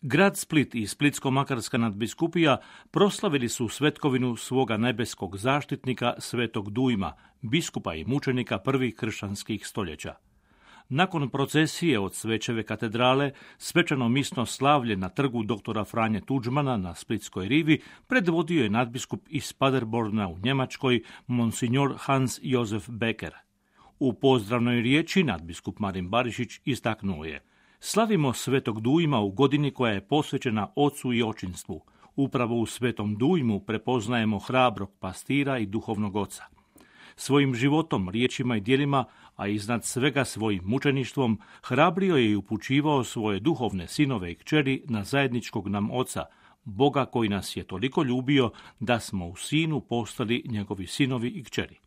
Grad Split i Splitsko-makarska nadbiskupija proslavili su svetkovinu svoga nebeskog zaštitnika Svetog Dujma, biskupa i mučenika prvih kršćanskih stoljeća. Nakon procesije od Svečeve katedrale, svečano misno slavlje na trgu doktora Franje Tuđmana na Splitskoj rivi predvodio je nadbiskup iz Paderborna u Njemačkoj, monsignor Hans Josef Becker. U pozdravnoj riječi nadbiskup Marin Barišić istaknuo je: slavimo Svetog Dujma u godini koja je posvećena ocu i očinstvu. Upravo u Svetom Dujmu prepoznajemo hrabrog pastira i duhovnog oca. Svojim životom, riječima i djelima, a iznad svega svojim mučeništvom, hrabrio je i upućivao svoje duhovne sinove i kćeri na zajedničkog nam oca, Boga koji nas je toliko ljubio da smo u sinu postali njegovi sinovi i kćeri.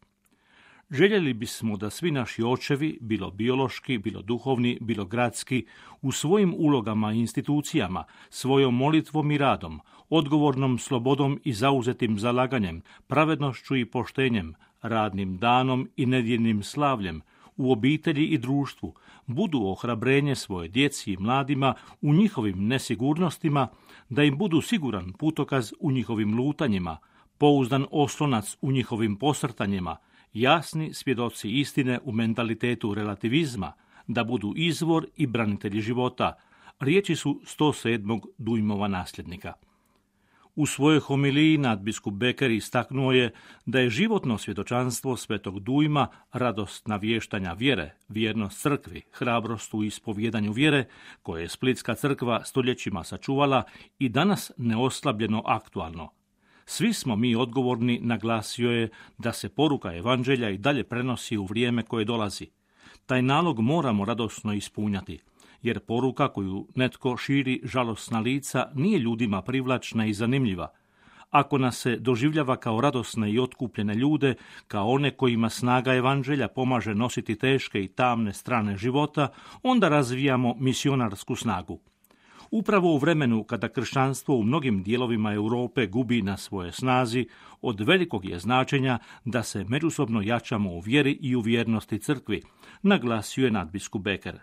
Željeli bismo da svi naši očevi, bilo biološki, bilo duhovni, bilo gradski, u svojim ulogama i institucijama, svojom molitvom i radom, odgovornom slobodom i zauzetim zalaganjem, pravednošću i poštenjem, radnim danom i nedjeljnim slavljem, u obitelji i društvu, budu ohrabrenje svoje djeci i mladima u njihovim nesigurnostima, da im budu siguran putokaz u njihovim lutanjima, pouzdan oslonac u njihovim posrtanjima, jasni svjedoci istine u mentalitetu relativizma, da budu izvor i branitelji života. Riječi su 107. Dujmova nasljednika. U svojoj homiliji nadbiskup Becker istaknuo je da je životno svjedočanstvo Svetog Dujma radost navještanja vjere, vjernost crkvi, hrabrost u ispovjedanju vjere, koje je Splitska crkva stoljećima sačuvala i danas neoslabljeno aktualno. Svi smo mi odgovorni, naglasio je, da se poruka evanđelja i dalje prenosi u vrijeme koje dolazi. Taj nalog moramo radosno ispunjati, jer poruka koju netko širi žalosna lica nije ljudima privlačna i zanimljiva. Ako nas se doživljava kao radosne i otkupljene ljude, kao one kojima snaga evanđelja pomaže nositi teške i tamne strane života, onda razvijamo misionarsku snagu. Upravo u vremenu kada kršćanstvo u mnogim dijelovima Europe gubi na svoje snazi, od velikog je značenja da se međusobno jačamo u vjeri i u vjernosti crkvi, naglasio je nadbiskup Becker.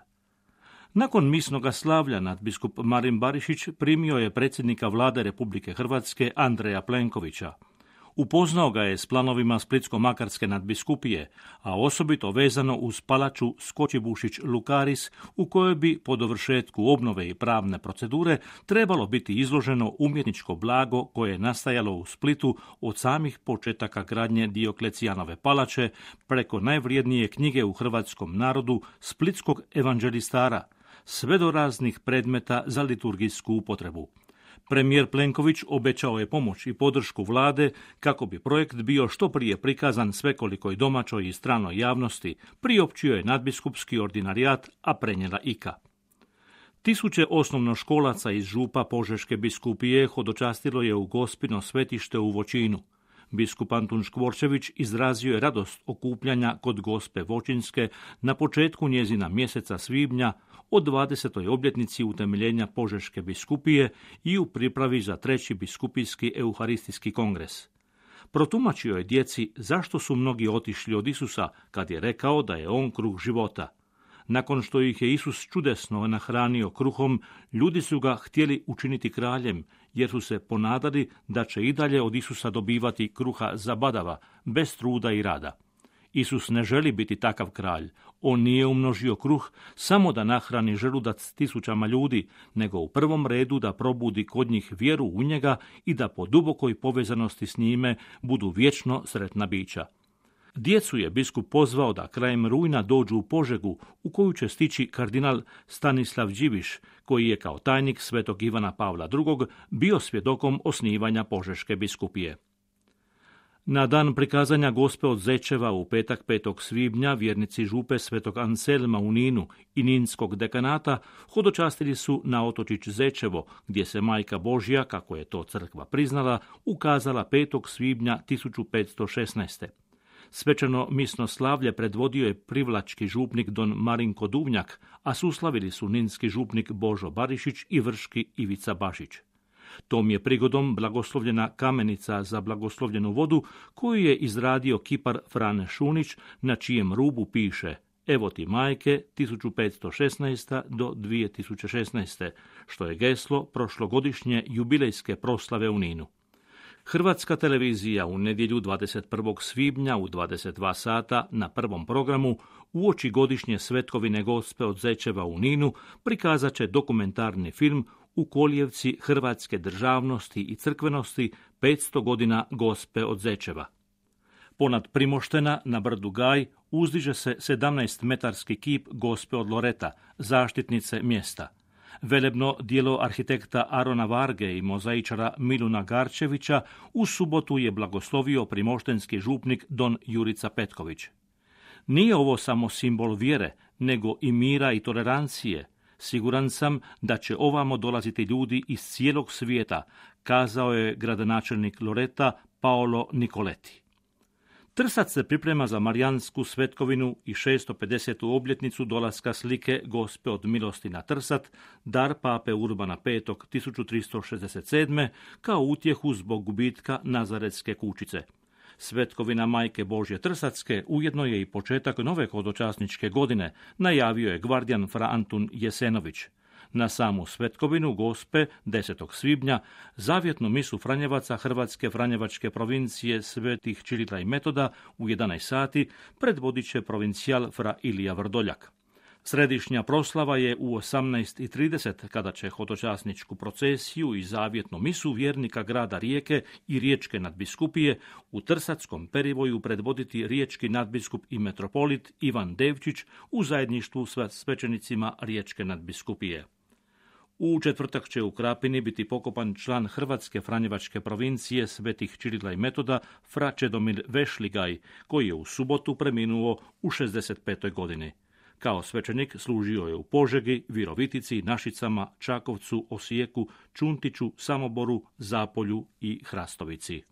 Nakon misnoga slavlja nadbiskup Marin Barišić primio je predsjednika vlade Republike Hrvatske Andreja Plenkovića. Upoznao ga je s planovima Splitsko-makarske nadbiskupije, a osobito vezano uz palaču Skočibušić-Lukaris, u kojoj bi po dovršetku obnove i pravne procedure trebalo biti izloženo umjetničko blago koje je nastajalo u Splitu od samih početaka gradnje Dioklecijanove palače preko najvrijednije knjige u hrvatskom narodu, Splitskog evanđelistara, sve do raznih predmeta za liturgijsku upotrebu. Premijer Plenković obećao je pomoć i podršku vlade kako bi projekt bio što prije prikazan svekolikoj domaćoj i stranoj javnosti, priopćio je nadbiskupski ordinarijat, a prenijela IKA. Tisuće osnovnoškolaca iz župa Požeške biskupije hodočastilo je u Gospino svetište u Voćinu. Biskup Antun Škvorčević izrazio je radost okupljanja kod Gospe Voćinske na početku njezina mjeseca svibnja o 20. obljetnici utemeljenja Požeške biskupije i u pripravi za 3. biskupijski euharistijski kongres. Protumačio je djeci zašto su mnogi otišli od Isusa kad je rekao da je on kruh života. Nakon što ih je Isus čudesno nahranio kruhom, ljudi su ga htjeli učiniti kraljem, jer su se ponadali da će i dalje od Isusa dobivati kruha zabadava, bez truda i rada. Isus ne želi biti takav kralj. On nije umnožio kruh samo da nahrani želudac tisućama ljudi, nego u prvom redu da probudi kod njih vjeru u njega i da po dubokoj povezanosti s njime budu vječno sretna bića. Djecu je biskup pozvao da krajem rujna dođu u Požegu, u koju će stići kardinal Stanislav Điviš, koji je kao tajnik svetog Ivana Pavla II. Bio svjedokom osnivanja Požeške biskupije. Na dan prikazanja Gospe od Zečeva u petak 5. svibnja vjernici župe svetog Anselma u Ninu i Ninskog dekanata hodočastili su na otočić Zečevo, gdje se Majka Božja, kako je to crkva priznala, ukazala 5. svibnja 1516. Svečano misno slavlje predvodio je privlački župnik don Marinko Duvnjak, a suslavili su ninski župnik Božo Barišić i vrški Ivica Bašić. Tom je prigodom blagoslovljena kamenica za blagoslovljenu vodu koju je izradio kipar Frane Šunić, na čijem rubu piše Evo ti majke 1516. do 2016. što je geslo prošlogodišnje jubilejske proslave u Ninu. Hrvatska televizija u nedjelju 21. svibnja u 22 sata na prvom programu uoči godišnje svetkovine Gospe od Zečeva u Ninu prikazat će dokumentarni film U kolijevci hrvatske državnosti i crkvenosti 500 godina Gospe od Zečeva. Ponad Primoštena na brdu Gaj uzdiže se 17-metarski kip Gospe od Loreta, zaštitnice mjesta. Velebno djelo arhitekta Arona Varge i mozaičara Miluna Garčevića u subotu je blagoslovio primoštenski župnik don Jurica Petković. Nije ovo samo simbol vjere, nego i mira i tolerancije. Siguran sam da će ovamo dolaziti ljudi iz cijelog svijeta, kazao je gradonačelnik Loreta Paolo Nicoletti. Trsac se priprema za marijansku svetkovinu i 650. obljetnicu dolaska slike Gospe od milosti na Trsat, dar pape Urbana V. 1367. kao utjehu zbog gubitka Nazaretske kućice. Svetkovina Majke Božje Trsatske ujedno je i početak nove hodočasničke godine, najavio je gvardijan fra Antun Jesenović. Na samu svetkovinu Gospe 10. svibnja zavjetnu misu Franjevaca Hrvatske Franjevačke provincije Svetih Čirila i Metoda u 11 sati predvodit će provincijal fra Ilija Vrdoljak. Središnja proslava je u 18:30 kada će hodočasničku procesiju i zavjetnu misu vjernika grada Rijeke i riječke nadbiskupije u Trsatskom perivoju predvoditi riječki nadbiskup i metropolit Ivan Devčić u zajedništvu sa svećenicima riječke nadbiskupije. U četvrtak će u Krapini biti pokopan član Hrvatske Franjevačke provincije Svetih Čirila i Metoda fra Čedomir Vešligaj, koji je u subotu preminuo u 65. godini. Kao svećenik služio je u Požegi, Virovitici, Našicama, Čakovcu, Osijeku, Čuntiću, Samoboru, Zapolju i Hrastovici.